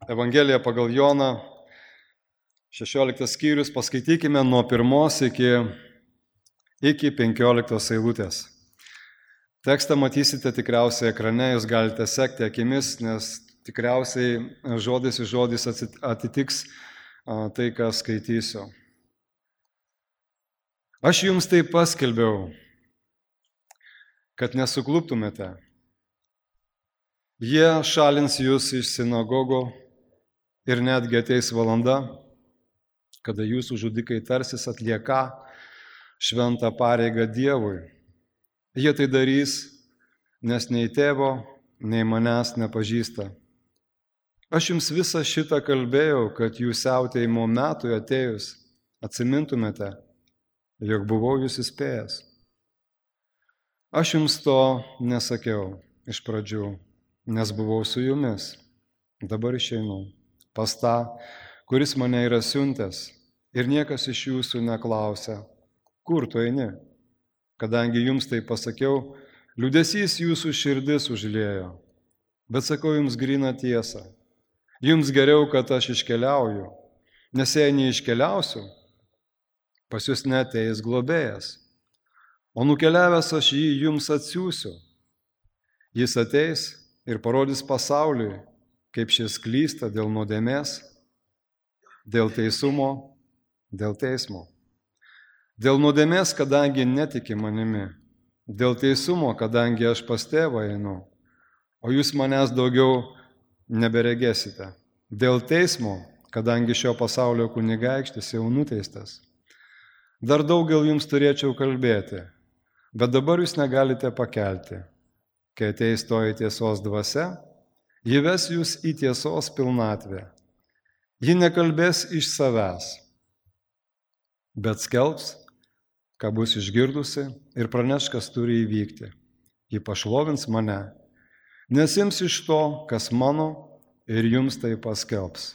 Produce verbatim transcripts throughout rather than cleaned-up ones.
Evangelija pagal Joną, šešioliktas skyrius, paskaitykime nuo pirmos iki, iki penkioliktos eilutės. Tekstą matysite tikriausiai ekrane, jūs galite sekti akimis, nes tikriausiai žodis į žodis atitiks tai, ką skaitysiu. Aš jums tai paskelbiau, kad nesukluptumėte. Jie šalins jūs iš sinagogo ir netgi ateis valanda, kada jūsų žudikai tarsis atlieka šventą pareigą Dievui. Jie tai darys, nes nei tėvo, nei manęs nepažįsta. Aš jums visą šitą kalbėjau, kad jūs siautėjimo metui atėjus atsimintumėte, jog buvau jūs įspėjęs. Aš jums to nesakiau iš pradžių, nes buvau su jumis. Dabar išeinu pas tą, kuris mane yra siuntęs, ir niekas iš jūsų neklausia, kur tu eini. Kadangi jums tai pasakiau, liūdesys jūsų širdis užliejo. Bet sakau jums gryną tiesą. Jums geriau, kad aš iškeliauju, nes jei neiškeliausiu, pas jūs neateis globėjas. O nukeliavęs aš jį jums atsiųsiu. Jis ateis ir parodys pasauliui, kaip šis klysta dėl nuodėmės, dėl teisumo, dėl teismo. Dėl nuodėmės, kadangi netiki manimi, dėl teisumo, kadangi aš pas tėvą einu, o jūs manęs daugiau neberegėsite. Dėl teismo, kadangi šio pasaulio kunigaikštis jau nuteistas. Dar daugel jums turėčiau kalbėti, bet dabar jūs negalite pakelti. Kai ateis toji tiesos dvasia, ji ves jūs į tiesos pilnatvę. Ji nekalbės iš savęs, bet skelbs, ką bus išgirdusi ir praneš, kas turi įvykti. Ji pašlovins mane, nes ims iš to, kas mano, ir jums tai paskelbs.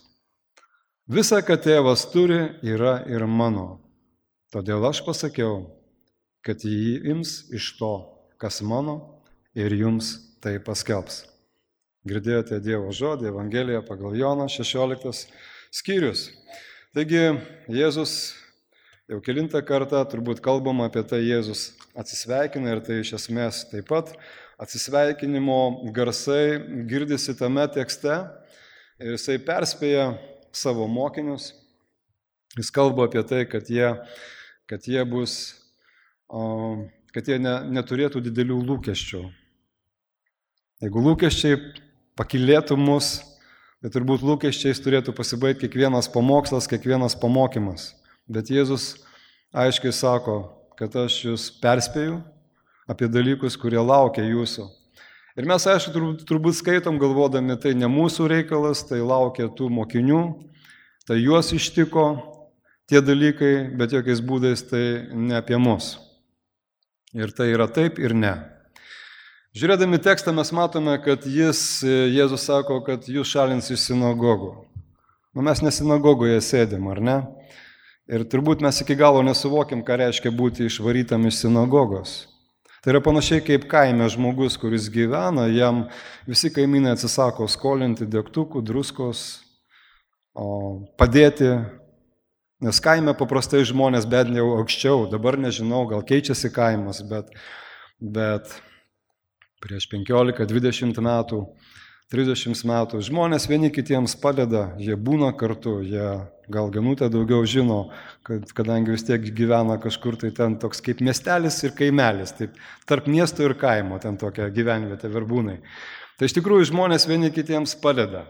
Visa, ką tėvas turi, yra ir mano. Todėl aš pasakiau, kad jį ims iš to, kas mano, ir jums tai paskelbs. Girdėjote Dievo žodį, Evangeliją pagal Joną, šešioliktas skyrius. Taigi Jėzus jau kelintą kartą turbūt kalbama apie tai, Jėzus atsisveikina ir tai iš esmės taip pat atsisveikinimo garsai girdisi tame tekste ir jisai perspėja savo mokinius. Jis kalba apie tai, kad jie, kad jie bus, kad jie ne, neturėtų didelių lūkesčių. Jeigu lūkesčiai pakilėtų mus, tai turbūt lūkesčiais turėtų pasibaigti kiekvienas pamokslas, kiekvienas pamokymas. Bet Jėzus aiškiai sako, kad aš jūs perspėju apie dalykus, kurie laukia jūsų. Ir mes, aišku, turbūt, turbūt skaitom galvodami, tai ne mūsų reikalas, tai laukia tų mokinių, tai juos ištiko tie dalykai, bet jokiais būdais tai ne apie mus. Ir tai yra taip ir ne. Žiūrėdami tekstą mes matome, kad jis, Jėzus sako, kad jūs šalins iš sinagogų. Nu, mes ne sinagogoje sėdim, ar ne? Ir turbūt mes iki galo nesuvokim, ką reiškia būti išvarytam iš sinagogos. Tai yra panašiai kaip kaime žmogus, kuris gyvena, jam visi kaimynai atsisako skolinti degtukų, druskos, padėti, nes kaime paprastai žmonės bent jau aukščiau, dabar nežinau, gal keičiasi kaimas, bet... bet prieš penkiolika, dvidešimt metų, trisdešimt metų. Žmonės vieni kitiems padeda, jie būna kartu, jie gal Ganutė daugiau žino, kad, kadangi vis tiek gyvena kažkur, tai ten toks kaip miestelis ir kaimelis, taip, tarp miesto ir kaimo, ten tokia gyvenvietė Verbūnai. Tai iš tikrųjų žmonės vieni kitiems padeda.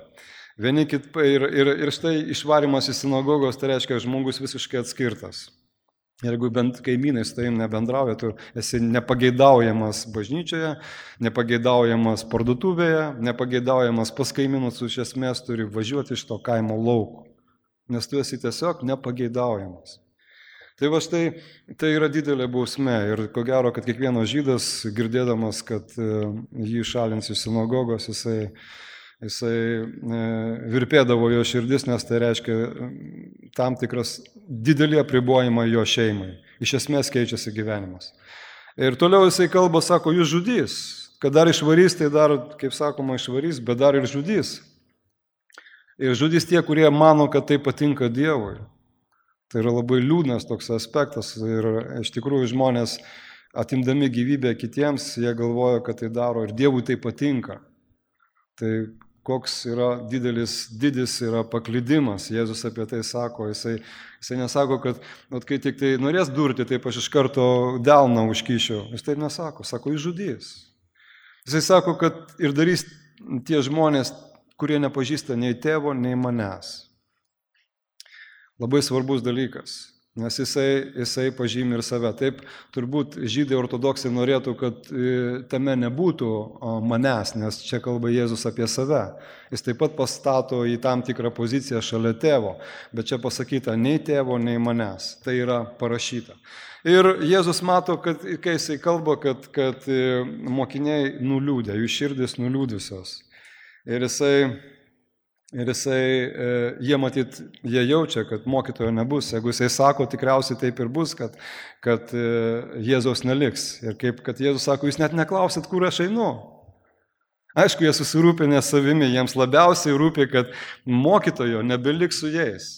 Vieni kit, ir, ir, ir štai išvarimas į sinagogos, tai reiškia žmogus visiškai atskirtas. Jeigu bent kaimynai su tavim nebendrauja, tu esi nepageidaujamas bažnyčioje, nepageidaujamas parduotuvėje, nepageidaujamas pas kaimynus, iš esmės turi važiuoti iš to kaimo lauko, nes tu esi tiesiog nepageidaujamas. Tai va štai, tai yra didelė bausmė ir ko gero, kad kiekvienas žydas, girdėdamas, kad jį šalins iš sinagogos, jisai Jisai virpėdavo jo širdis, nes tai reiškia tam tikras didelį apribojimą jo šeimai. Iš esmės keičiasi gyvenimas. Ir toliau jisai kalba, sako, jūs žudys. Kad dar išvarys, tai dar, kaip sakoma, išvarys, bet dar ir žudys. Ir žudys tie, kurie mano, kad tai patinka Dievui. Tai yra labai liūdnas toks aspektas ir iš tikrųjų žmonės atimdami gyvybę kitiems, jie galvoja, kad tai daro ir Dievui tai patinka. Tai koks yra didelis, didis yra paklydimas, Jėzus apie tai sako, jisai, jisai nesako, kad at, kai tik tai norės durti, taip aš iš karto delną užkišiu, jis taip nesako, sako, jis žudys. Jisai sako, kad ir darys tie žmonės, kurie nepažįsta nei tėvo, nei manęs. Labai svarbus dalykas, nes jisai, jisai pažymi ir save. Taip, turbūt žydai ortodoksai norėtų, kad tame nebūtų manęs, nes čia kalba Jėzus apie save. Jis taip pat pastato į tam tikrą poziciją šalia tėvo, bet čia pasakyta nei tėvo, nei manęs. Tai yra parašyta. Ir Jėzus mato, kad kai jisai kalba, kad, kad mokiniai nuliūdė, jų širdis nuliūdusios. Ir jisai, ir jisai, jie matyt, jie jaučia, kad mokytojo nebus. Jeigu jisai sako, tikriausiai taip ir bus, kad, kad Jėzaus neliks. Ir kaip, kad Jėzus sako, jūs net neklausit, kur aš einu. Aišku, jie susirūpinę savimi, jiems labiausiai rūpi, kad mokytojo nebeliks su jais.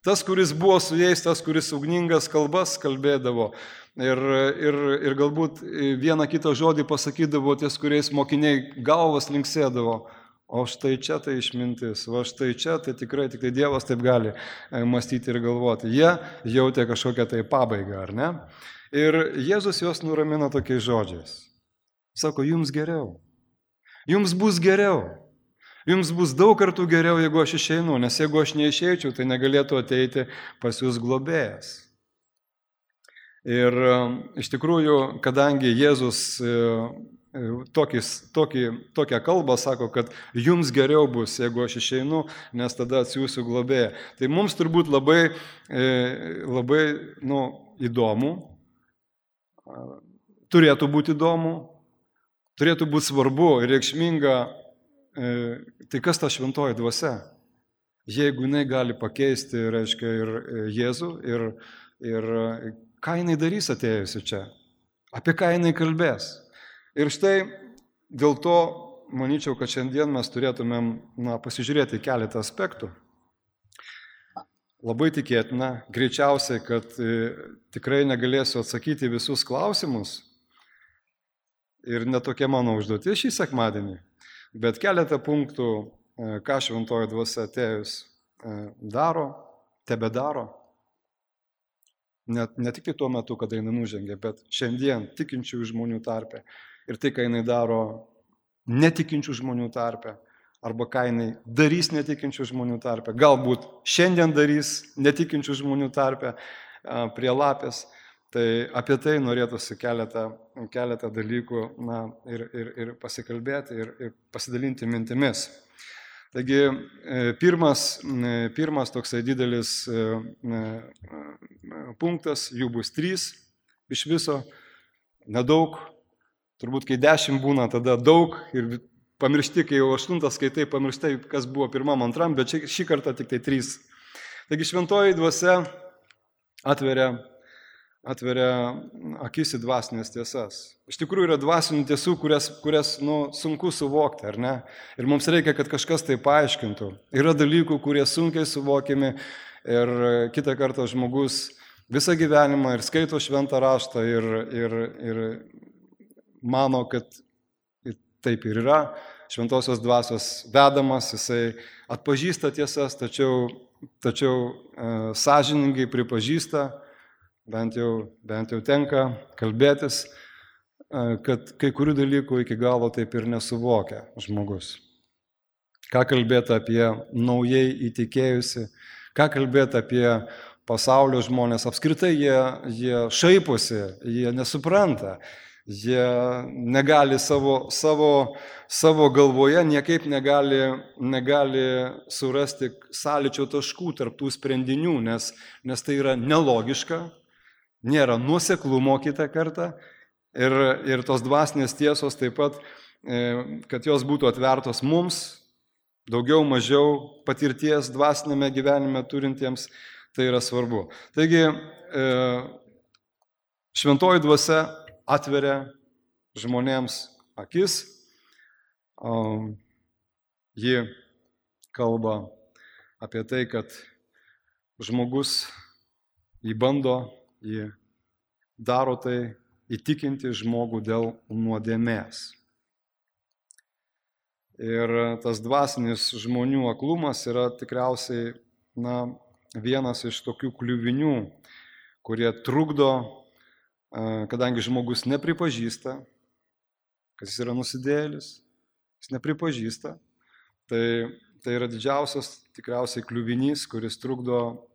Tas, kuris buvo su jais, tas, kuris ugningas kalbas kalbėdavo ir, ir, ir galbūt vieną kitą žodį pasakydavo ties, kuriais mokiniai galvas linksėdavo. O štai čia tai išmintis, o štai čia tai tikrai tik tai Dievas taip gali mąstyti ir galvoti. Jie jautė kažkokią tai pabaigą, ar ne? Ir Jėzus juos nuramino tokiais žodžiais. Sako, jums geriau. Jums bus geriau. Jums bus daug kartų geriau, jeigu aš išeinu, nes jeigu aš neišeičiau, tai negalėtų ateiti pas jūs globėjas. Ir iš tikrųjų, kadangi Jėzus Tokis, tokį, tokią kalbą sako, kad jums geriau bus, jeigu aš išeinu, nes tada atsiųsiu globėją. Tai mums turbūt labai, labai nu, įdomu, turėtų būti įdomu, turėtų būti svarbu ir reikšminga, tai kas ta šventoji dvasia? Jeigu jinai gali pakeisti, reiškia, ir Jėzų, ir, ir ką jinai darys atėjusi čia, apie ką jinai kalbės. Ir štai dėl to, manyčiau, kad šiandien mes turėtumėm na, pasižiūrėti keletą aspektų. Labai tikėtina, greičiausiai, kad e, tikrai negalėsiu atsakyti visus klausimus ir netokia mano užduotis šį sekmadienį, bet keletą punktų, e, ką šventoji dvasia atėjus e, daro, tebedaro. Net, ne tik tai tuo metu, kada jinai nužengė, bet šiandien tikinčių žmonių tarpe. Ir tai, ką jinai daro netikinčių žmonių tarpe, arba ką jinai darys netikinčių žmonių tarpe, galbūt šiandien darys netikinčių žmonių tarpe prie lapės, tai apie tai norėtųsi keletą, keletą dalykų na, ir, ir, ir pasikalbėti, ir, ir pasidalinti mintimis. Taigi, pirmas, pirmas toksai didelis punktas, jų bus trys iš viso, nedaug. Turbūt, kai dešimt būna, tada daug ir pamiršti, kai jau aštuntas skaitai, pamirštai, kas buvo pirmam, antram, bet šį kartą tik tai trys. Taigi šventoji dvasia atveria, atveria akis į dvasinės tiesas. Iš tikrųjų yra dvasinių tiesų, kurias, kurias nu, sunku suvokti, ar ne? Ir mums reikia, kad kažkas tai paaiškintų. Yra dalykų, kurie sunkiai suvokiami ir kitą kartą žmogus visą gyvenimą ir skaito šventą raštą ir, ir, ir mano, kad taip ir yra, šventosios dvasios vedamas, jisai atpažįsta tiesas, tačiau, tačiau e, sąžiningai pripažįsta, bent jau, bent jau tenka kalbėtis, e, kad kai kurių dalykų iki galo taip ir nesuvokia žmogus. Ką kalbėti apie naujai įtikėjusi, ką kalbėti apie pasaulio žmonės, apskritai jie, jie šaiposi, jie nesupranta. Jie negali savo, savo, savo galvoje, niekaip negali, negali surasti sąlyčio taškų tarp tų sprendinių, nes, nes tai yra nelogiška, nėra nuoseklumo kitą kartą ir, ir tos dvasinės tiesos taip pat, kad jos būtų atvertos mums, daugiau mažiau patirties dvasinėme gyvenime turintiems, tai yra svarbu. Taigi, šventoji dvasia atveria žmonėms akis, ji kalba apie tai, kad žmogus jį bando, jį daro tai įtikinti žmogų dėl nuodėmės. Ir tas dvasinis žmonių aklumas yra tikriausiai na, vienas iš tokių kliuvinių, kurie trukdo, kadangi žmogus nepripažįsta, kad jis yra nusidėjėlis, jis nepripažįsta, tai, tai yra didžiausias tikriausiai kliuvinys, kuris trukdo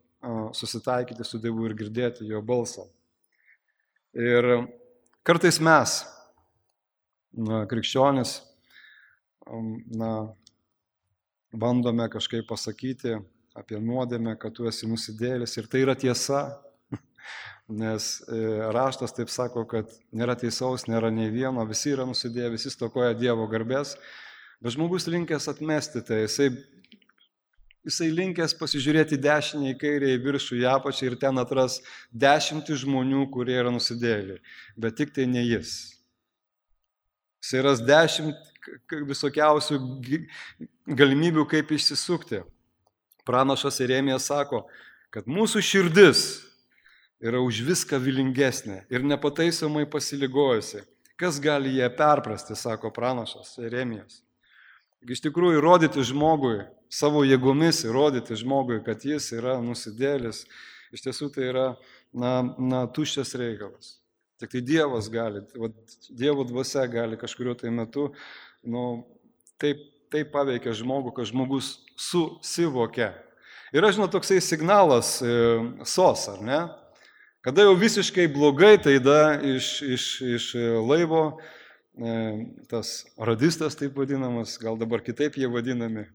susitaikyti su Dievu ir girdėti jo balsą. Ir kartais mes, na, krikščionis, na, bandome kažkaip pasakyti apie nuodėmę, kad tu esi nusidėjėlis ir tai yra tiesa, nes raštas taip sako, kad nėra teisaus, nėra nei vieno, visi yra nusidėję, visi stokoja Dievo garbės, bet žmogus linkęs atmesti tai, jisai, jisai linkęs pasižiūrėti dešinę į kairę, į viršų, į apačią ir ten atras dešimtį žmonių, kurie yra nusidėjėliai, bet tik tai ne jis. Jisai ras dešimt visokiausių galimybių, kaip išsisukti. Pranašas Jeremijas sako, kad mūsų širdis yra už viską vilingesnė ir nepataisomai pasiligojusi. Kas gali ją perprasti, sako pranašas Jeremijas. Iš tikrųjų, įrodyti žmogui, savo jėgomis įrodyti žmogui, kad jis yra nusidėlis, iš tiesų tai yra na, na, tuščias reikalas. Tik tai Dievas gali, va, Dievo dvasia gali kažkurio tai metu nu, taip, taip paveikia žmogų, kad žmogus susivokia. Yra, žinot, toksai signalas e, sos, ar ne? Kada jau visiškai blogai, tai da iš, iš, iš laivo e, tas radistas taip vadinamas, gal dabar kitaip jie vadinami,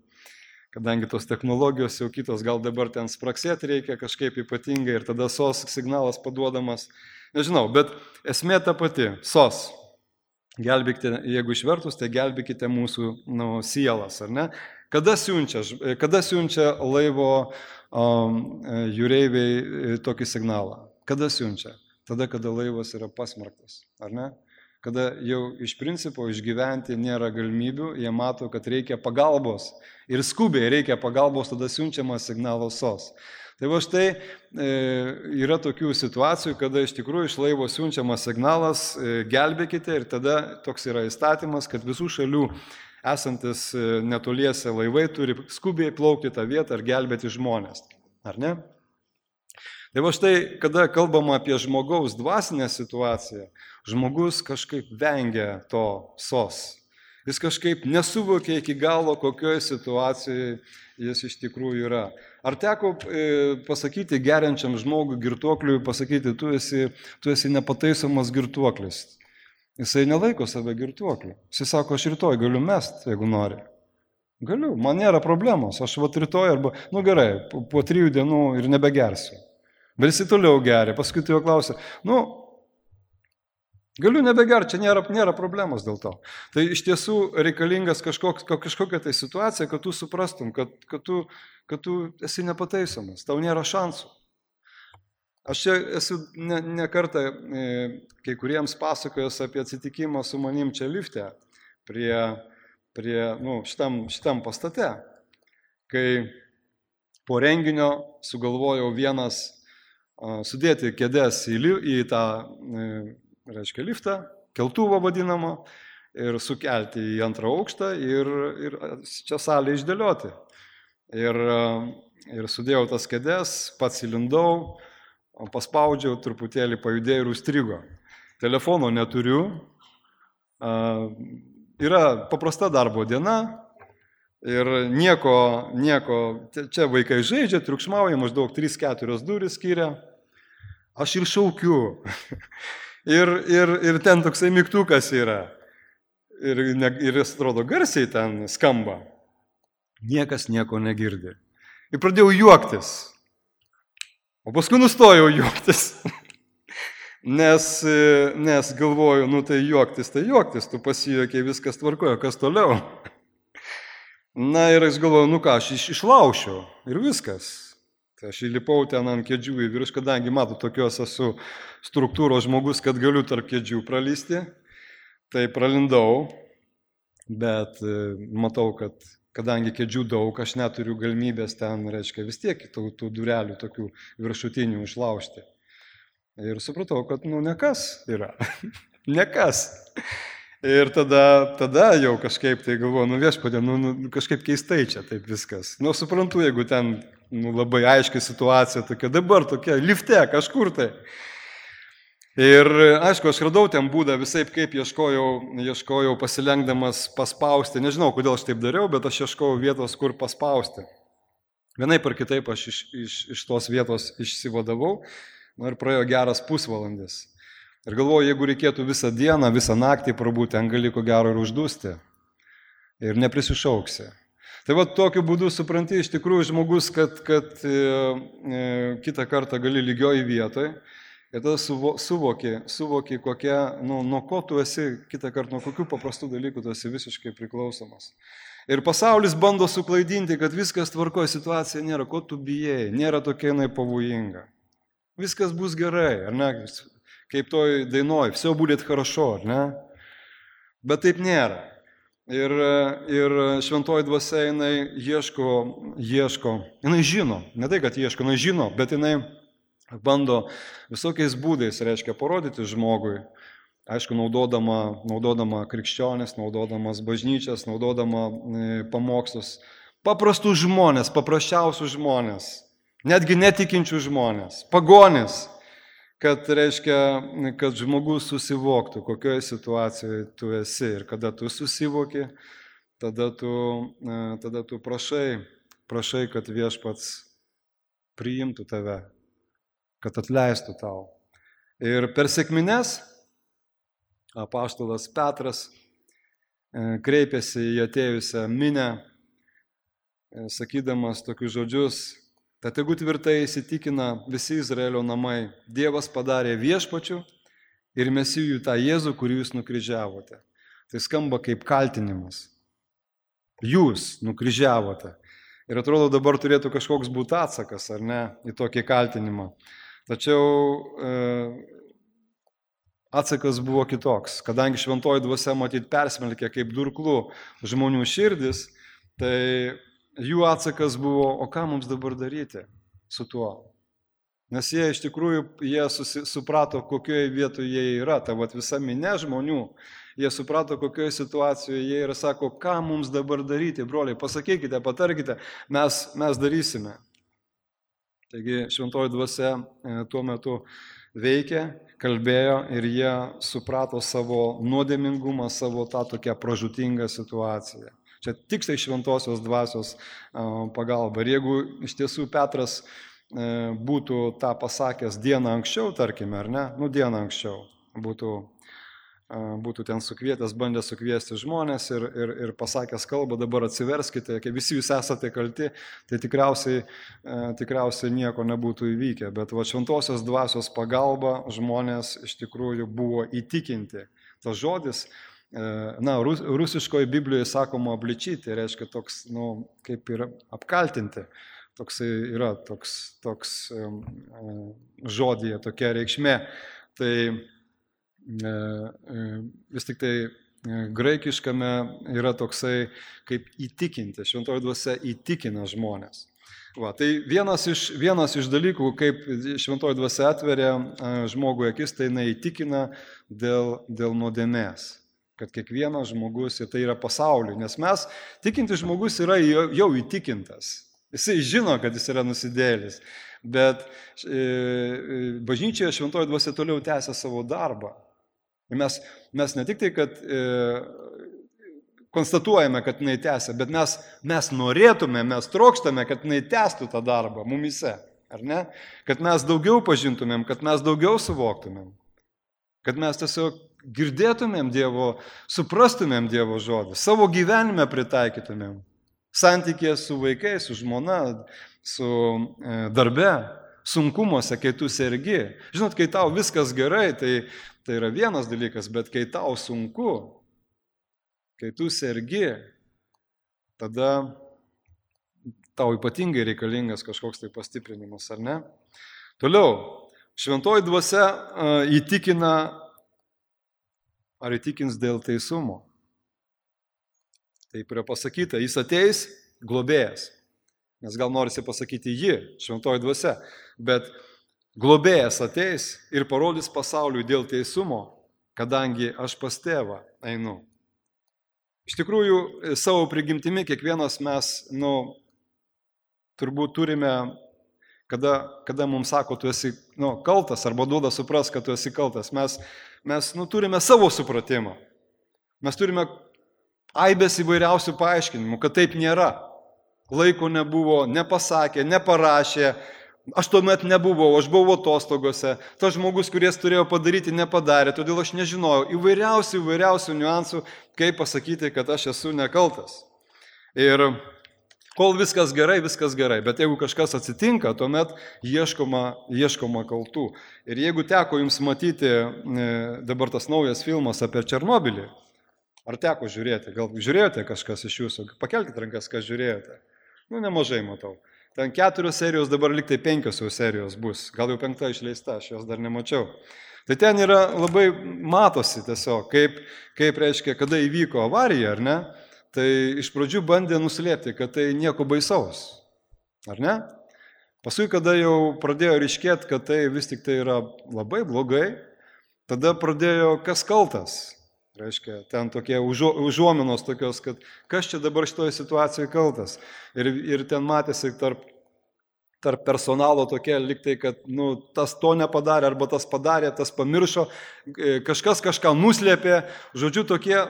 kadangi tos technologijos jau kitos, gal dabar ten spraksėti reikia kažkaip ypatingai ir tada sos signalas paduodamas. Nežinau, bet esmė ta pati, sos. Gelbėkite, jeigu išvertus, tai gelbėkite mūsų nu, sielas, ar ne? Kada siunčia, kada siunčia laivo um, jūreiviai tokį signalą? Kada siunčia? Tada, kada laivas yra pasmerktas, ar ne? Kada jau iš principo išgyventi nėra galimybių, jie mato, kad reikia pagalbos ir skubiai reikia pagalbos, tada siunčiamas signalas sos. Tai va štai e, yra tokių situacijų, kada iš tikrųjų iš laivo siunčiamas signalas e, gelbėkite ir tada toks yra įstatymas, kad visų šalių esantis e, netoliese laivai turi skubiai plaukti tą vietą ir gelbėti žmonės. Ar ne? Tai va štai, kada kalbama apie žmogaus dvasinę situaciją, žmogus kažkaip vengia to sos. Jis kažkaip nesuvokia iki galo, kokioje situacijoje jis iš tikrųjų yra. Ar teko e, pasakyti geriančiam žmogui girtuokliui, pasakyti, tu esi, tu esi nepataisomas girtuoklis. Jisai nelaiko save girtuokliu. Jisai sako, aš rytoj galiu mest, jeigu nori. Galiu, man nėra problemos, aš vat rytoj arba, nu gerai, po, po trijų dienų ir nebegersiu. Bet jisai toliau geria, paskui tu jo klausia, nu, galiu nebegerti, čia nėra, nėra problemos dėl to. Tai iš tiesų reikalingas kažkoks, kažkokia tai situacija, kad tu suprastum, kad, kad, tu, kad tu esi nepataisomas, tau nėra šansų. Aš čia esu ne, ne kartą e, kai kuriems pasakojęs apie atsitikimą su manim čia lifte, prie, prie nu, šitam, šitam pastate, kai po renginio sugalvojau vienas a, sudėti kėdes į, į tą e, reiškia liftą, keltuvą vadinamą, ir sukelti į antrą aukštą ir, ir čia salę išdėlioti. Ir, ir sudėjau tas kėdes, pats įlindau, paspaudžiau, truputėlį pajudėjau ir užstrigo. Telefono neturiu, yra paprasta darbo diena ir nieko, nieko, čia vaikai žaidžia, triukšmauja, maždaug trys keturios durys skiria, aš ir šaukiu. Ir, ir, ir ten toksai mygtukas yra. Ir, ir jis atrodo garsiai ten skamba. Niekas nieko negirdi. Ir pradėjau juoktis. O paskui nustojau juoktis. Nes, nes galvoju, nu tai juoktis, tai juoktis. Tu pasijuokiai, viskas tvarkoja, kas toliau. Na ir aš galvoju, nu ką, aš iš, išlaušiu. Ir viskas. Aš įlipau ten ant kėdžių į virš, kadangi matau, tokios esu struktūros žmogus, kad galiu tarp kėdžių pralysti. Tai pralindau, bet matau, kad kadangi kėdžių daug, aš neturiu galimybės ten, reiškia, vis tiek tų, tų durelių tokių viršutinių užlaužti. Ir supratau, kad, nu, nekas yra. Nekas. Ir tada, tada jau kažkaip tai galvoju, nu viešpatie, nu, nu kažkaip keistai čia taip viskas. Nu, suprantu, jeigu ten nu, labai aiški situacija tokia, dabar tokia, lifte kažkur tai. Ir aišku, aš radau ten būdą visai, kaip ieškojau, ieškojau pasilenkdamas paspausti. Nežinau, kodėl aš taip dariau, bet aš ieškojau vietos, kur paspausti. Vienaip ar kitaip aš iš, iš, iš tos vietos išsivadavau, nu, ir praėjo geras pusvalandis. Ir galvoju, jeigu reikėtų visą dieną, visą naktį prabūti, ten gali ko gero ir uždusti. Ir neprisišauksi. Tai va tokiu būdu supranti iš tikrųjų žmogus, kad, kad e, e, kitą kartą gali lygioj vietoj. Ir tada suvo, suvoki, suvoki kokia, nu, nuo ko tu esi, kitą kartą, nuo kokių paprastų dalykų tu esi visiškai priklausomas. Ir pasaulis bando suklaidinti, kad viskas tvarkoja, situacija nėra, ko tu bijai, nėra tokia jinai pavojinga. Viskas bus gerai, ar ne? Kaip toj dainoj, все будет хорошо, ar ne? Bet taip nėra. Ir, ir šventoji dvasia, jinai ieško, ieško, jinai žino, ne tai, kad ieško, jinai žino, bet jinai bando visokiais būdais, reiškia, parodyti žmogui, aišku, naudodama, naudodama krikščionis, naudodamas bažnyčias, naudodama pamokslus, paprastus žmonės, paprasčiausius žmonės, netgi netikinčių žmonės, pagonis. Kad reiškia, kad žmogus susivoktų, kokioje situacijoje tu esi. Ir kada tu susivoki, tada tu, tada tu prašai, prašai, kad viešpats priimtų tave, kad atleistų tau. Ir per sekmines apaštalas Petras kreipėsi į atėjusią minią, sakydamas tokius žodžius: Tad tegu tvirtai įsitikina visi Izraelio namai, Dievas padarė viešpačių ir mesijų tą Jėzų, kurį jūs nukryžiavote. Tai skamba kaip kaltinimas. Jūs nukryžiavote. Ir atrodo, dabar turėtų kažkoks būti atsakas, ar ne, į tokį kaltinimą. Tačiau e, atsakas buvo kitoks. Kadangi šventoji dvasia matyt persmelkė kaip durklų žmonių širdis, tai jų atsakas buvo, o ką mums dabar daryti su tuo? Nes jie iš tikrųjų, jie susi, suprato, kokioje vietoje jie yra. Ta vat visa minė žmonių, jie suprato, kokioje situacijoje jie yra, sako, ką mums dabar daryti, broliai, pasakykite, patarkite, mes, mes darysime. Taigi šventoji dvasia tuo metu veikė, kalbėjo ir jie suprato savo nuodėmingumą, savo tą tokią pražūtingą situaciją. Čia tiksliai šventosios dvasios pagalba. Ir jeigu iš tiesų Petras būtų tą pasakęs dieną anksčiau, tarkime, ar ne, nu dieną anksčiau, būtų, būtų ten sukvietęs, bandė sukviesti žmonės ir, ir, ir pasakęs kalbą, dabar atsiverskite, kai visi jūs esate kalti, tai tikriausiai, tikriausiai nieko nebūtų įvykę. Bet va šventosios dvasios pagalba žmonės iš tikrųjų buvo įtikinti. Tas žodis, na, rus, rusiškoje Biblijoje sakoma obličyti, reiškia toks, nu, kaip ir apkaltinti, toks yra toks, toks um, žodyje, tokia reikšmė. Tai e, vis tik tai graikiškame yra toksai kaip įtikinti, šventoji dvasia įtikina žmonės. Va, tai vienas iš, vienas iš dalykų, kaip šventoji dvasia atveria žmogui akis, tai jinai įtikina dėl, dėl nuodėmės. Kad kiekvienas žmogus, ir tai yra pasauliu, nes mes, tikintis žmogus yra jau įtikintas. Jisai žino, kad jis yra nusidėlis, bet e, bažnyčioje šventoji dvasia toliau tęsia savo darbą. Ir mes, mes ne tik tai, kad e, konstatuojame, kad jinai tęsia, bet mes, mes norėtume, mes trokštame, kad jinai tęstų tą darbą mumise, ar ne? Kad mes daugiau pažintumėm, kad mes daugiau suvoktumėm, kad mes tiesiog girdėtumėm Dievo, suprastumėm Dievo žodį, savo gyvenime pritaikytumėm, santykėje su vaikais, su žmona, su e, darbe, sunkumuose, kai tu sergi. Žinot, kai tau viskas gerai, tai, tai yra vienas dalykas, bet kai tau sunku, kai tu sergi, tada tau ypatingai reikalingas kažkoks tai pastiprinimas, ar ne? Toliau, šventoji dvasia e, įtikina. Ar įtikins dėl teisumo? Taip yra pasakyta, jis ateis globėjas. Nes gal norisi pasakyti ji, šventoji dvasia, bet globėjas ateis ir parodys pasauliui dėl teisumo, kadangi aš pas tėvą einu. Iš tikrųjų, savo prigimtimi kiekvienas mes, nu, turbūt turime, kada, kada mums sako, tu esi nu, kaltas, arba duoda supras, kad tu esi kaltas, mes, mes nu, turime savo supratimą. Mes turime aibės įvairiausių paaiškinimų, kad taip nėra. Laiko nebuvo, nepasakė, neparašė, aš tuomet nebuvau, aš buvau atostogose, tas žmogus, kuris turėjo padaryti, nepadarė, todėl aš nežinojau įvairiausių, įvairiausių niuansų, kaip pasakyti, kad aš esu nekaltas. Ir kol viskas gerai, viskas gerai, bet jeigu kažkas atsitinka, tuomet ieškoma, ieškoma kaltų. Ir jeigu teko jums matyti dabar tas naujas filmas apie Černobylį, ar teko žiūrėti, gal žiūrėjote kažkas iš jūsų, pakelkite rankas, kas žiūrėjote. Nu, nemažai matau. Ten keturios serijos, dabar liktai penkios jau serijos bus. Gal jau penkta išleista, aš jos dar nemačiau. Tai ten yra labai matosi tiesiog, kaip, kaip reiškia, kada įvyko avarija, ar ne? Tai iš pradžių bandė nuslėpti, kad tai nieko baisaus. Ar ne? Paskui, kada jau pradėjo ryškėti, kad tai vis tik tai yra labai blogai, tada pradėjo kas kaltas. Reiškia, ten tokie užuominos tokios, kad kas čia dabar šitoje situacijoje kaltas. Ir, ir ten matėsi tarp, tarp personalo tokie liktai, kad nu, tas to nepadarė, arba tas padarė, tas pamiršo, kažkas kažką nuslėpė. Žodžiu, tokie,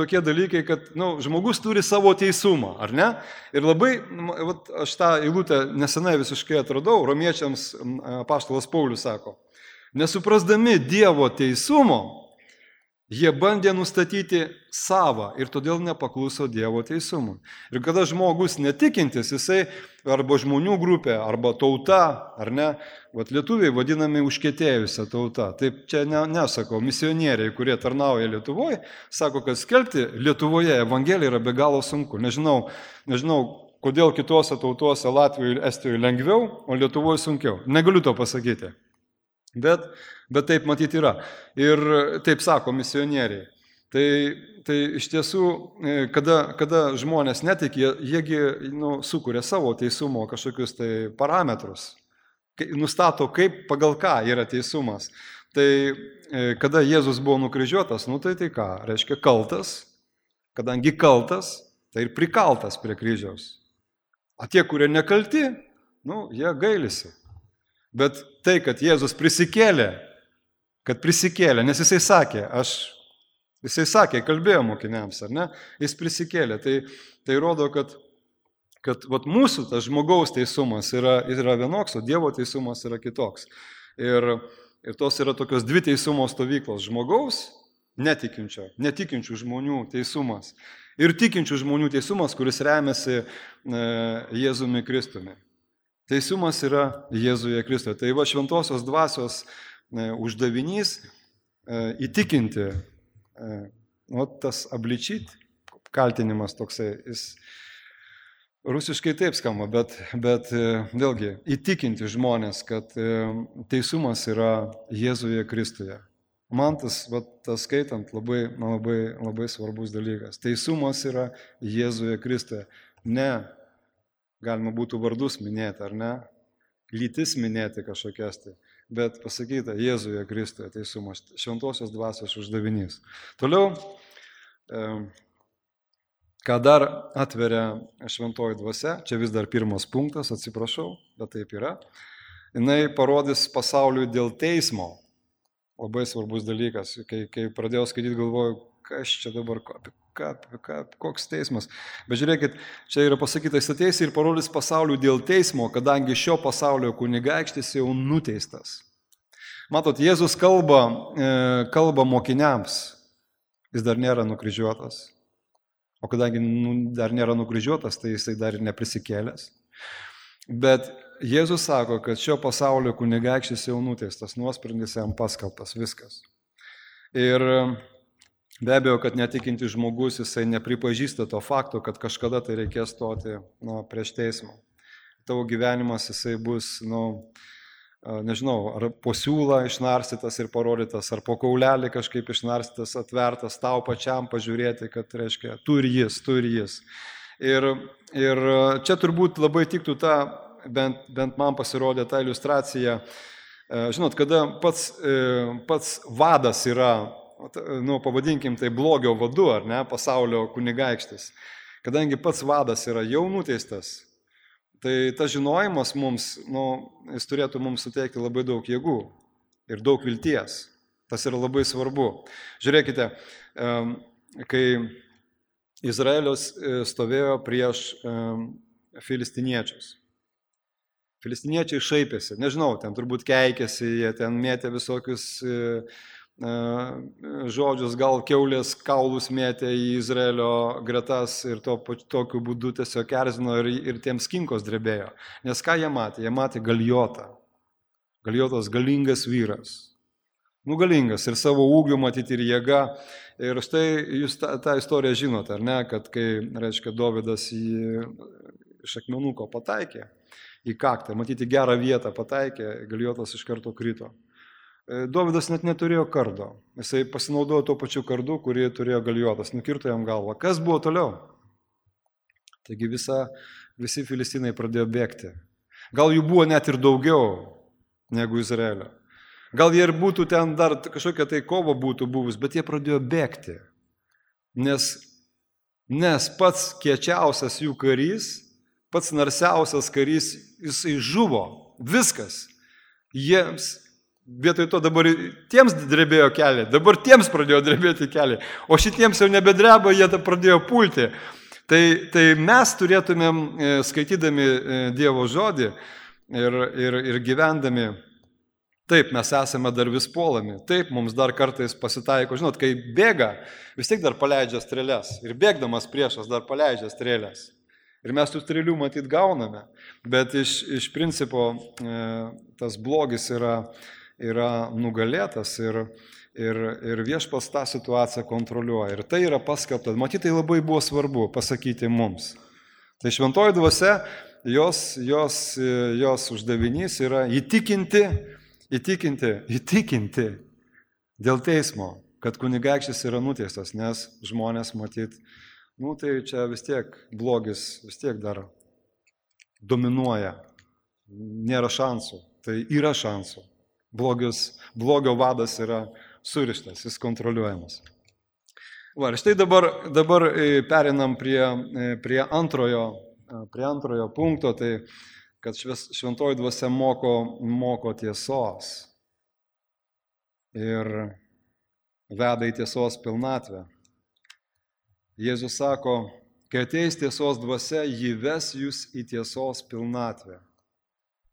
tokie dalykai, kad nu, žmogus turi savo teisumą, ar ne? Ir labai, vat, aš tą eilutę nesenai visiškai atradau, romiečiams apaštalas Paulius sako, nesuprasdami Dievo teisumo, jie bandė nustatyti savą ir todėl nepakluso Dievo teisumui. Ir kada žmogus netikintis, jisai arba žmonių grupė, arba tauta, ar ne, vat lietuviai vadinami užkietėjusią tautą. Taip čia ne, nesako, misionieriai, kurie tarnauja Lietuvoje, sako, kad skelbti Lietuvoje Evangeliją yra be galo sunku. Nežinau, nežinau kodėl kitose tautose Latvijoje ir Estijoje lengviau, o Lietuvoje sunkiau. Negaliu to pasakyti. Bet, bet taip matyti yra. Ir taip sako misionieriai. Tai, tai iš tiesų, kada, kada žmonės netikė, jiegi nu, sukuria savo teisumo kažkokius tai parametrus. Nustato, kaip pagal ką yra teisumas. Tai kada Jėzus buvo nukryžiuotas, nu tai tai ką? Reiškia kaltas. Kadangi kaltas, tai ir prikaltas prie kryžiaus. O tie, kurie nekalti, nu, jie gailisi. Bet tai, kad Jėzus prisikėlė, kad prisikėlė, nes jisai sakė, aš, jisai sakė, kalbėjo mokiniams, ar ne, jis prisikėlė, tai, tai rodo, kad, kad vat, mūsų tas žmogaus teisumas yra, yra vienoks, o Dievo teisumas yra kitoks. Ir, ir tos yra tokios dvi teisumo stovyklos, žmogaus, netikinčio, netikinčių žmonių teisumas ir tikinčių žmonių teisumas, kuris remiasi e, Jėzumi Kristumi. Teisumas yra Jėzuje Kristuje. Tai va šventosios dvasios e, uždavinys e, įtikinti, e, nu, tas abličyt, kaltinimas toksai, jis rusiškai taip skamba, bet, bet e, vėlgi įtikinti žmonės, kad e, teisumas yra Jėzuje Kristuje. Man tas, va, tas skaitant, labai, labai, labai svarbus dalykas. Teisumas yra Jėzuje Kristuje. Ne. Galima būtų vardus minėti, ar ne? Lytis minėti kažkokias tai. Bet pasakyta, Jėzuje Kristuje teisumas, šventosios dvasios uždavinys. Toliau, ką dar atveria šventoji dvasia, čia vis dar pirmas punktas, atsiprašau, bet taip yra. Jinai parodys pasauliui dėl teismo. Labai svarbus dalykas. Kai, kai pradėjau skaityti, galvoju, kas čia dabar, ką, ką, ką, koks teismas. Bet žiūrėkit, čia yra pasakyta, jis ateis ir parodys pasauliui dėl teismo, kadangi šio pasaulio kunigaikštis jau nuteistas. Matot, Jėzus kalba, kalba mokiniams, jis dar nėra nukryžiuotas. O kadangi dar nėra nukryžiuotas, tai jisai dar ir neprisikėlęs. Bet Jėzus sako, kad šio pasaulio kunigaikštis jau nuteistas, nuosprendis jam paskelbtas, viskas. Ir be abejo, kad netikinti žmogus, jisai nepripažįsta to fakto, kad kažkada tai reikės stoti nu, prieš teismą. Tavo gyvenimas jisai bus nu, nežinau, ar po siūlą išnarstytas ir parodytas, ar po kaulelį kažkaip išnarstytas, atvertas tau pačiam pažiūrėti, kad, reiškia, tu ir jis, tu ir jis. Ir, ir čia turbūt labai tiktų ta, bent, bent man pasirodė ta iliustracija, žinot, kada pats, pats vadas yra, nu, pavadinkim tai blogio vadu, ar ne, pasaulio kunigaikštis, kadangi pats vadas yra jau nuteistas, tai tas žinojimas mums, nu, jis turėtų mums suteikti labai daug jėgų ir daug vilties. Tas yra labai svarbu. Žiūrėkite, kai Izraelis stovėjo prieš filistiniečius. Filistiniečiai šaipėsi, nežinau, ten turbūt keikėsi, jie ten mėtė visokius žodžius, gal kiaulės kaulus mėtė į Izraelio gretas ir to, tokiu būdu tiesiog erzino ir, ir tiems kinkos drebėjo. Nes ką jie matė? Jie matė Galijotą. Galijotas galingas vyras. Nu, galingas ir savo ūgiu matyti ir jėga. Ir štai jūs tą, tą istoriją žinote, ar ne, kad kai, reiškia, Dovydas į iš akmenuko pataikė, į kaktą, matyti gerą vietą pataikė, Galijotas iš karto krito. Dovydas net neturėjo kardo. Jisai pasinaudojo tuo pačiu kardu, kurį turėjo Galijotas, nukirto jam galvą. Kas buvo toliau? Taigi visa, visi filistinai pradėjo bėgti. Gal jų buvo net ir daugiau negu Izraelio. Gal jie ir būtų ten dar kažkokia tai kova būtų buvus, bet jie pradėjo bėgti. Nes, nes pats kiečiausias jų karys, pats narsiausias karys, jisai žuvo. Viskas. Jiems vietoj to dabar tiems drebėjo keliai, dabar tiems pradėjo drebėti keliai, o šitiems jau nebedreba, jie pradėjo pulti. Tai, tai mes turėtumėm, skaitydami Dievo žodį ir, ir, ir gyvendami, taip, mes esame dar vis puolami, taip, mums dar kartais pasitaiko, žinot, kai bėga, vis tiek dar paleidžia strėles ir bėgdamas priešas dar paleidžia strėles. Ir mes tų strėlių matyt gauname, bet iš, iš principo tas blogis yra yra nugalėtas ir, ir, ir Viešpats tą situaciją kontroliuoja. Ir tai yra paskelbta. Matyt, tai labai buvo svarbu pasakyti mums. Tai šventoji dvasia, jos, jos, jos uždavinys yra įtikinti, įtikinti, įtikinti dėl teismo, kad kunigaikštis yra nuteistas, nes žmonės matyt, nu tai čia vis tiek blogis, vis tiek dar dominuoja. Nėra šansų, tai yra šansų. Blogis, blogio vadas yra surištas, jis kontroliuojamas. Va, ir štai dabar, dabar perinam prie, prie, antrojo, prie antrojo punkto, tai kad šventoji dvasia moko, moko tiesos ir veda į tiesos pilnatvę. Jėzus sako, kai ateis tiesos dvasia, ji ves jūs į tiesos pilnatvę.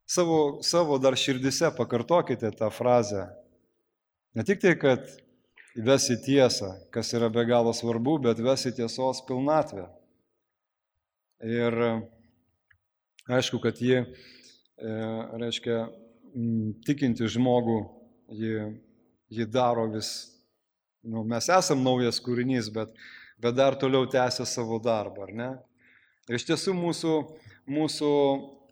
Savo, savo dar širdise pakartokite tą frazę. Ne tik tai, kad ves į tiesą, kas yra be galo svarbu, bet ves į tiesos pilnatvę. Ir aišku, kad ji, e, reiškia, tikinti žmogų, ji, ji daro vis, nu, mes esam naujas kūrinys, bet, bet dar toliau tęsia savo darbą, ar ne? Ir iš tiesų mūsų, mūsų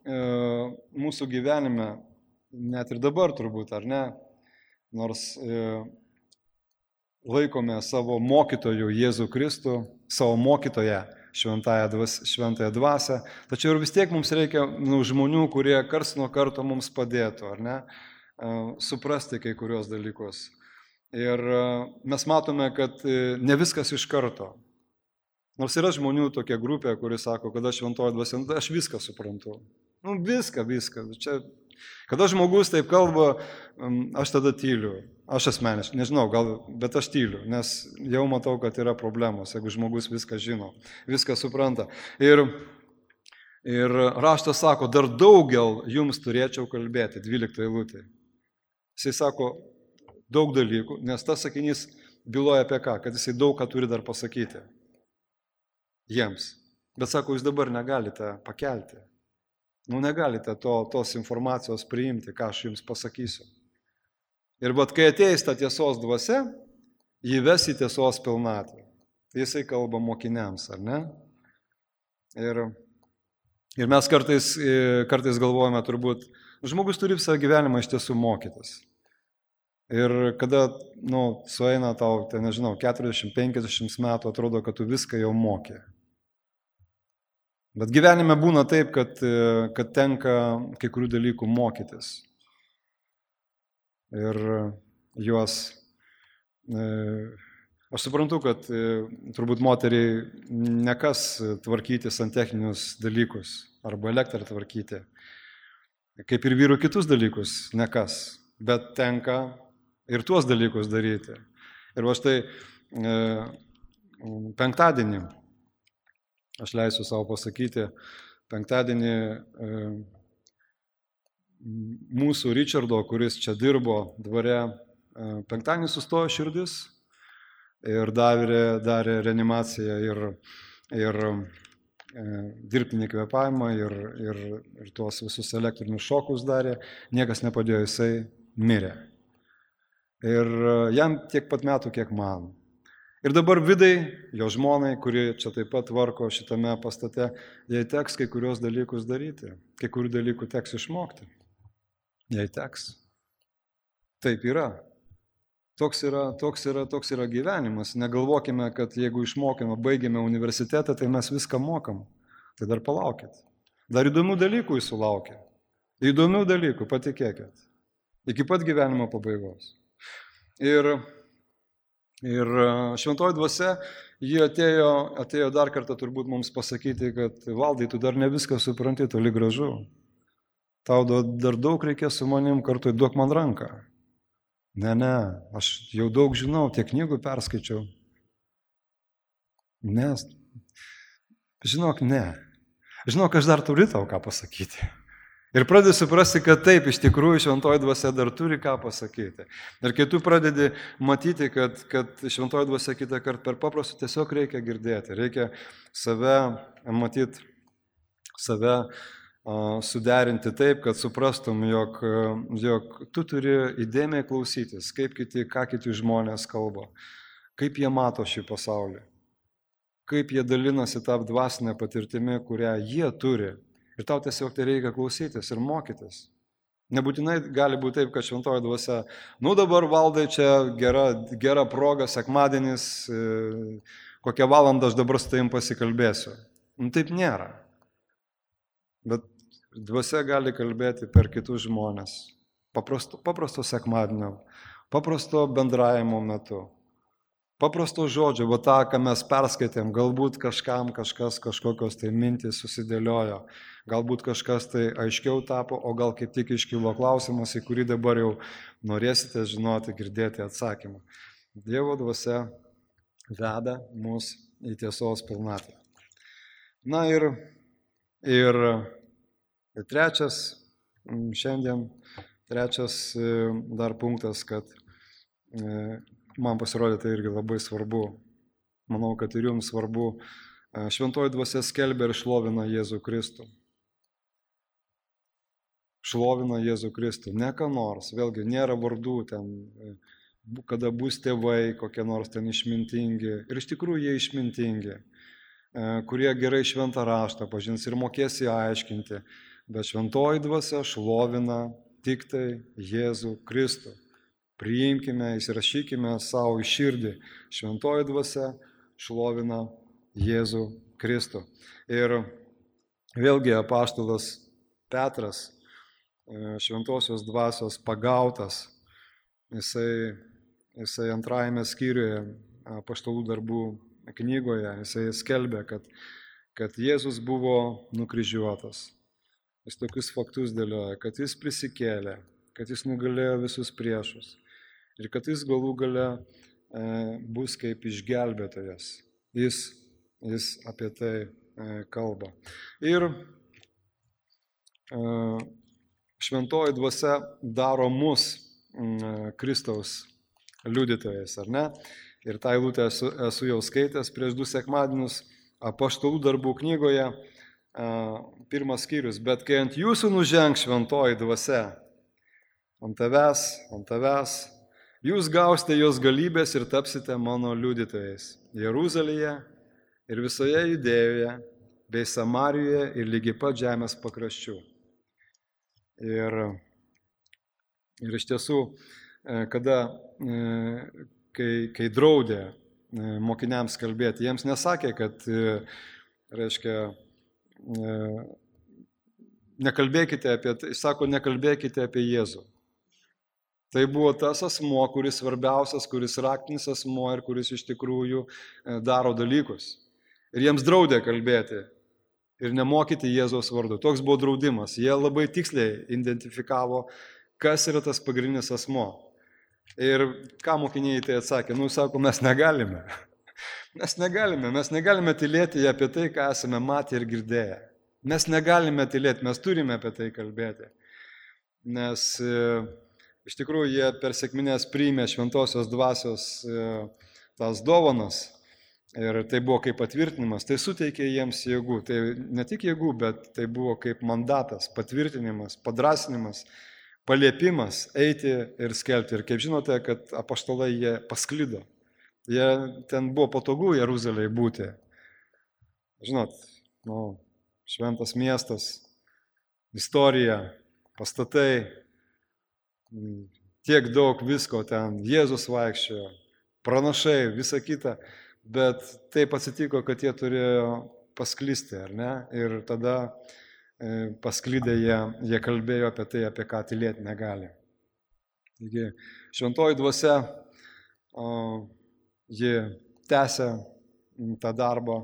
mūsų gyvenime, net ir dabar turbūt, ar ne, nors e, laikome savo mokytojų Jėzų Kristų, savo mokytoją šventąją dvasę, šventąją dvasę, tačiau ir vis tiek mums reikia nu, žmonių, kurie karts nuo karto mums padėtų, ar ne, e, suprasti kai kurios dalykus. Ir e, mes matome, kad e, ne viskas iš karto. Nors yra žmonių tokia grupė, kuri sako, kad aš šventoji dvasia, aš viską suprantu. Nu, viską, viską. Čia, kada žmogus taip kalba, aš tada tyliu. Aš asmeniškai, nežinau, gal, bet aš tyliu, nes jau matau, kad yra problemos, jeigu žmogus viską žino, viską supranta. Ir, ir raštas sako, dar daugel jums turėčiau kalbėti, dvylikta eilutė. Jisai sako daug dalykų, nes tas sakinys byloja apie ką, kad jisai daug ką turi dar pasakyti jiems. Bet sako, jūs dabar negalite pakelti. Nu, negalite to, tos informacijos priimti, ką aš jums pasakysiu. Ir bet kai ateis ta tiesos dvasia, jį ves į tiesos pilnatvę. Jisai kalba mokiniams, ar ne? Ir, ir mes kartais, kartais galvojame turbūt, Žmogus turi visą gyvenimą iš tiesų mokytis. Ir kada, nu, sueina tau, tai nežinau, keturiasdešimt penkiasdešimt metų, atrodo, kad tu viską jau mokė. Bet gyvenime būna taip, kad, kad tenka kai kurių dalykų mokytis. Ir juos, aš suprantu, kad turbūt moteriai nekas tvarkyti santechninius dalykus arba elektrą tvarkyti. Kaip ir vyrų kitus dalykus nekas, bet tenka ir tuos dalykus daryti. Ir va štai e, penktadienį, aš leisiu savo pasakyti, penktadienį e, mūsų Richardo, kuris čia dirbo dvare, e, penktadienį sustojo širdis ir darė, darė reanimaciją ir, ir e, dirbtinį kvėpavimą ir, ir, ir tuos visus elektrinius šokus darė, niekas nepadėjo, jisai mirė. Ir jam tiek pat metų, kiek man. Ir dabar Vidai, jo žmonai, kuri čia taip pat tvarko šitame pastate, jai teks kai kurios dalykus daryti, kai kurių dalykų teks išmokti. Jai teks. Taip yra. Toks yra, toks yra, toks yra gyvenimas. Negalvokime, kad jeigu išmokime, baigėme universitetą, tai mes viską mokam. Tai dar palaukit. Dar įdomių dalykų jūsų laukia. Įdomių dalykų, patikėkit. Iki pat gyvenimo pabaigos. Ir, ir šventoji dvasia, ji atėjo, atėjo dar kartą turbūt mums pasakyti, kad Valdai, tu dar ne viską supranti, toli gražu. Tau dar daug reikės su manim kartu, duok man ranką. Ne, ne, aš jau daug žinau, tiek knygų perskaičiau. Ne, žinok, ne. Žinok, aš dar turiu tau ką pasakyti. Ir pradedi suprasti, kad taip, iš tikrųjų šventoji dvasia dar turi ką pasakyti. Ir kai tu pradedi matyti, kad, kad šventoji dvasia kitą kartą per paprastų tiesiog reikia girdėti, reikia save matyti, save uh, suderinti taip, kad suprastum, jog, jog tu turi įdėmiai klausytis, kaip kiti, ką kiti žmonės kalba, kaip jie mato šį pasaulį, kaip jie dalinasi tą dvasinę patirtimį, kurią jie turi. Ir tau tiesiog tai reikia klausytis ir mokytis. Nebūtinai gali būti taip, kad šventoji dvasia, nu dabar Valdai čia gera, gera proga, sekmadienis, kokią valandą aš dabar su tavim pasikalbėsiu. Nu taip nėra. Bet dvasia gali kalbėti per kitus žmonės. Paprasto, paprasto sekmadienio, paprasto bendravimo metu. Paprasto žodžio, va tą, ką mes perskaitėm, galbūt kažkam kažkas, kažkokios tai mintys susidėliojo, galbūt kažkas tai aiškiau tapo, o gal kaip tik iškilo klausimas, į kurį dabar jau norėsite žinoti, girdėti atsakymą. Dievo dvasia veda mus į tiesos pilnatvę. Na ir, ir trečias, šiandien trečias dar punktas, kad man pasirodė tai irgi labai svarbu, manau, kad ir jums svarbu, šventoji dvasia skelbia ir šlovina Jėzų Kristų. Šlovina Jėzų Kristų, ne ką nors, vėlgi nėra vardų ten, kada bus tėvai, kokie nors ten išmintingi, ir iš tikrųjų jie išmintingi, kurie gerai šventą raštą pažins ir mokės jį aiškinti, bet šventoji dvasia šlovina tik tai Jėzų Kristų. Priimkime, įsirašykime savo į širdį. Šventoji dvasia šlovina Jėzų Kristų. Ir vėlgi apaštalas Petras, šventosios dvasios pagautas, jisai, jisai antrajame skyriuje apaštalų darbų knygoje, jisai skelbė, kad, kad Jėzus buvo nukryžiuotas. Jis tokius faktus dėlioja, kad jis prisikėlė, kad jis nugalėjo visus priešus. Ir kad jis galų gale e, bus kaip išgelbėtojas. Jis, jis apie tai e, kalba. Ir e, šventoji dvasia daro mus e, Kristaus liudytojais, ar ne? Ir tą eilutę esu, esu jau skaitęs prieš du sekmadienius apaštalų darbų knygoje, e, pirmas skyrius. Bet kai ant jūsų nužengs šventoji dvasia, ant tavęs, ant tavęs, jūs gausite jos galybės ir tapsite mano liudytojais Jeruzalėje ir visoje Judėjoje, bei Samarijoje ir lygiai pat žemės pakraščių. Ir, ir iš tiesų, kada, kai, kai draudė mokiniams kalbėti, jiems nesakė, kad, reiškia, nekalbėkite apie tai, sako, nekalbėkite apie Jėzų. Tai buvo tas asmuo, kuris svarbiausias, kuris raktinis asmuo ir kuris iš tikrųjų daro dalykus. Ir jiems draudė kalbėti ir nemokyti Jėzaus vardu. Toks buvo draudimas. Jie labai tiksliai identifikavo, kas yra tas pagrindinis asmuo. Ir ką mokiniai tai atsakė? Nu, sako, mes negalime. Mes negalime, mes negalime tylėti apie tai, ką esame matę ir girdėję. Mes negalime tylėti, mes turime apie tai kalbėti. Nes iš tikrųjų, jie per sekmines priėmė šventosios dvasios tas dovanas ir tai buvo kaip patvirtinimas, tai suteikė jiems jėgų. Tai ne tik jėgų, bet tai buvo kaip mandatas, patvirtinimas, padrasinimas, paliepimas eiti ir skelbti. Ir kaip žinote, kad apaštalai jie pasklido. Jie ten buvo patogu Jeruzalėje būti. Žinot, nu, šventas miestas, istorija, pastatai, tiek daug visko ten, Jėzus vaikščiojo, pranašai, visa kita, bet taip atsitiko, kad jie turėjo pasklisti, ar ne? Ir tada pasklydę jie, jie kalbėjo apie tai, apie ką tylėti negali. Taigi, šventoji dvasia, ji tęsia tą darbą,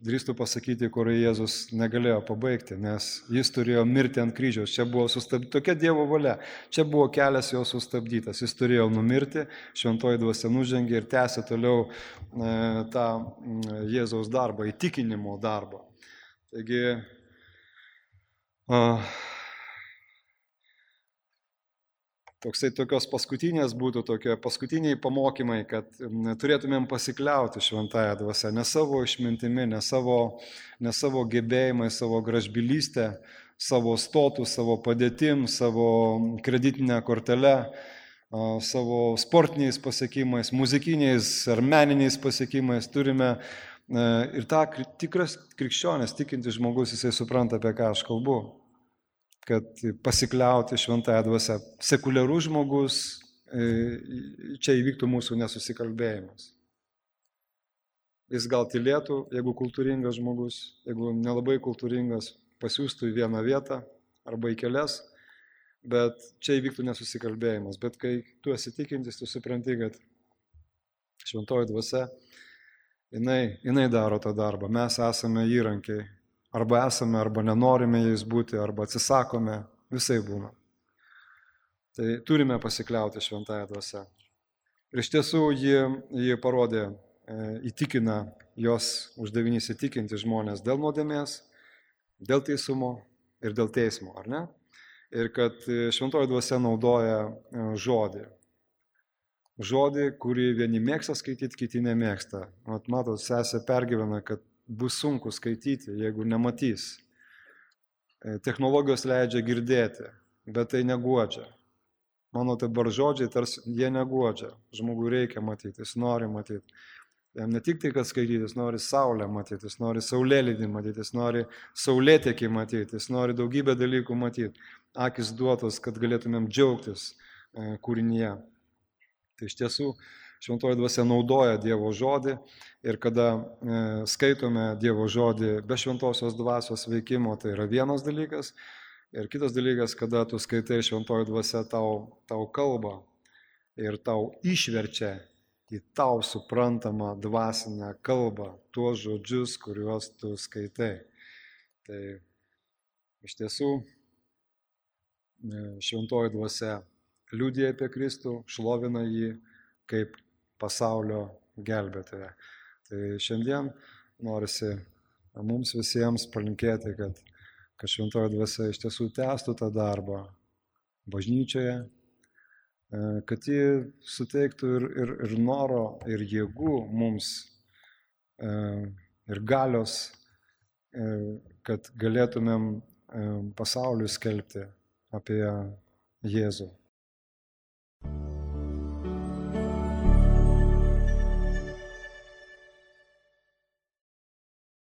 drįstu pasakyti, kur Jėzus negalėjo pabaigti, nes jis turėjo mirti ant kryžiaus. Čia buvo sustabdyta, tokia Dievo valia, čia buvo kelias jo sustabdytas. Jis turėjo numirti, šventoji dvasia nužengė ir tęsė toliau e, tą Jėzaus darbą, įtikinimo darbą. Taigi, a, toksai tokios paskutinės būtų tokie paskutiniai pamokymai, kad turėtumėm pasikliauti šventąją dvasią, ne savo išmintimi, ne savo, ne savo gebėjimai, savo gražbylystę, savo stotų, savo padėtim, savo kreditinę kortelę, savo sportiniais pasiekimais, muzikiniais ar meniniais pasiekimais. Turime ir tą tikras krikščionis, tikintis žmogus, jisai supranta, apie ką aš kalbu. Kad pasikliauti šventąją dvasią. Sekuliarus žmogus, čia įvyktų mūsų nesusikalbėjimas. Jis gal tylėtų, jeigu kultūringas žmogus, jeigu nelabai kultūringas, pasiųstų į vieną vietą arba į kelias, bet čia įvyktų nesusikalbėjimas. Bet kai tu esi tikintis, tu supranti, kad šventoji dvasia, jinai, jinai daro tą darbą. Mes esame įrankiai. Arba esame, arba nenorime jais būti, arba atsisakome, visai būna. Tai turime pasikliauti šventąją dvasią. Ir iš tiesų ji, ji parodė, įtikina jos uždavinys įtikinti žmonės dėl nuodėmės, dėl teisumo ir dėl teismo, ar ne? Ir kad šventoji dvasia naudoja žodį. Žodį, kurį vieni mėgsta skaityti, kiti nemėgsta. Mat, matot, sesė pergyvena, kad bus sunku skaityti, jeigu nematys. Technologijos leidžia girdėti, bet tai neguodžia. Mano dabar žodžiai, tarsi jie neguodžia. Žmogui reikia matyti, jis nori matyti. Jam ne tik tai, kad skaityti, jis nori saulę matyti, jis nori saulėlydį matyti, jis nori saulėtekį matyti, jis nori daugybę dalykų matyti. Akis duotos, kad galėtumėm džiaugtis kūrinyje. Tai iš tiesų, šventoji dvasia naudoja Dievo žodį ir kada e, skaitome Dievo žodį be šventosios dvasios veikimo, tai yra vienas dalykas. Ir kitas dalykas, kada tu skaitai šventoji dvasia tau, tau kalba ir tau išverčia į tau suprantamą dvasinę kalbą tuos žodžius, kuriuos tu skaitai. Tai iš tiesų šventoji dvasia liudija apie Kristų, šlovina jį kaip pasaulio gelbėtoją. Tai šiandien norisi mums visiems palinkėti, kad, kad šventoji dvasia iš tiesų tęstų tą darbą bažnyčioje, kad ji suteiktų ir, ir, ir noro, ir jėgų mums, ir galios, kad galėtumėm pasauliui skelbti apie Jėzų.